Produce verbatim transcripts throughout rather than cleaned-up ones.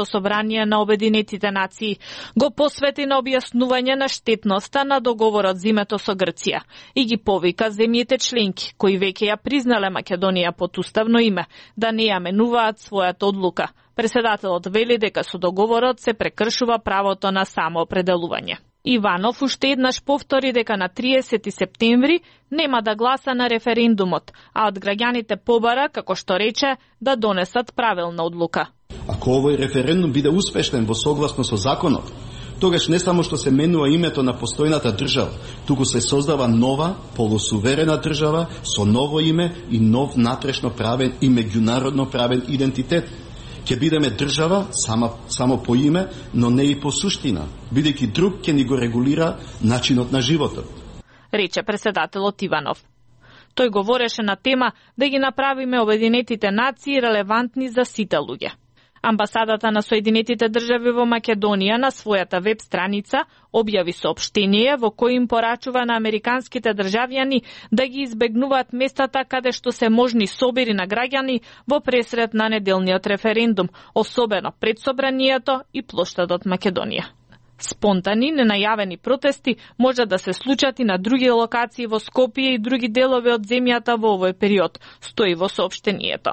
собрание на Обединетите нации го посвети на објаснување на штетноста на договорот за името со Грција и ги повика земјите членки, кои веќе ја признале Македонија под уставно име, да не ја менуваат својата одлука. Преседателот вели дека со договорот се прекршува правото на самоопределување. Иванов уште еднаш повтори дека на триесети септември нема да гласа на референдумот, а од граѓаните побара, како што рече, да донесат правилна одлука. Ако овој референдум биде успешен во согласно со законот, тогаш не само што се менува името на постојната држава, туку се создава нова, полусуверена држава со ново име и нов натрешно правен и меѓународно правен идентитет. Ќе бидеме држава само, само по име, но не и по суштина, бидејќи друг ќе ни го регулира начинот на животот, рече преседателот Иванов. Тој говореше на тема да ги направиме Обединетите нации релевантни за сите луѓе. Амбасадата на Соединетите држави во Македонија на својата веб страница објави соопштение во кој им порачува на американските државјани да ги избегнуваат местата каде што се можни собери на граѓани во пресред на неделниот референдум, особено пред собранието и плоштадот Македонија. Спонтани, ненајавени протести може да се случат и на други локации во Скопје и други делови од земјата во овој период, стои во соопштението.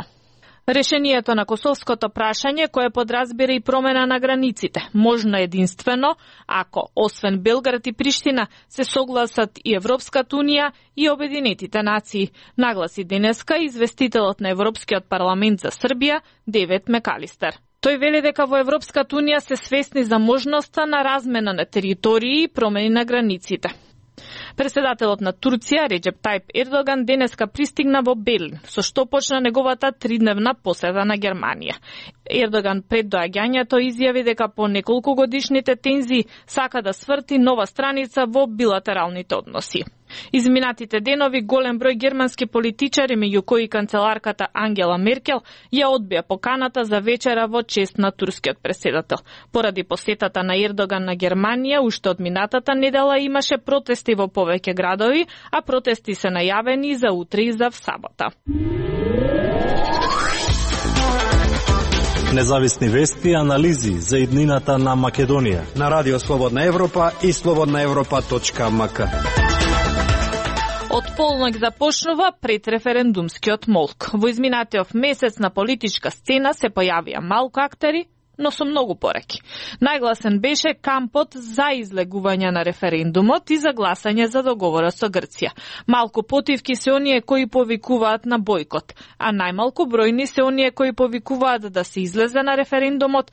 Решението на косовското прашање, кое подразбира и промена на границите, можно единствено ако, освен Белград и Приштина, се согласат и Европската унија и Обединетите нации, нагласи денеска известителот на Европскиот парламент за Србија, Девет Мекалистер. Тој вели дека во Европската унија се свесни за можноста на размена на територии и промени на границите. Преседателот на Турција, Реджеп Тајп Ердоган, денеска пристигна во Берлин, со што почна неговата тридневна посета на Германија. Ердоган пред доаѓањето изјави дека по неколку годишните тензии сака да сврти нова страница во билатералните односи. Изминатите денови голем број германски политичари, меѓу кои канцеларката Ангела Меркел, ја одбија поканата за вечера во чест на турскиот преседател. Поради посетата на Ердоган на Германија, уште од минатата недела имаше протести во повеќе градови, а протести се најавени за утре и за сабота. Независни вести и анализи за иднината на Македонија на Радио Слободна Европа и слободна европа точка ем ка. Од полнок започнува предреферендумскиот молк. Во изминатиот месец на политичка сцена се појавија малку актери, но со многу пореки. Најгласен беше кампот за излегување на референдумот и за гласање за договорот со Грција. Малку потивки се оние кои повикуваат на бојкот, а најмалку бројни се оние кои повикуваат да се излезе на референдумот,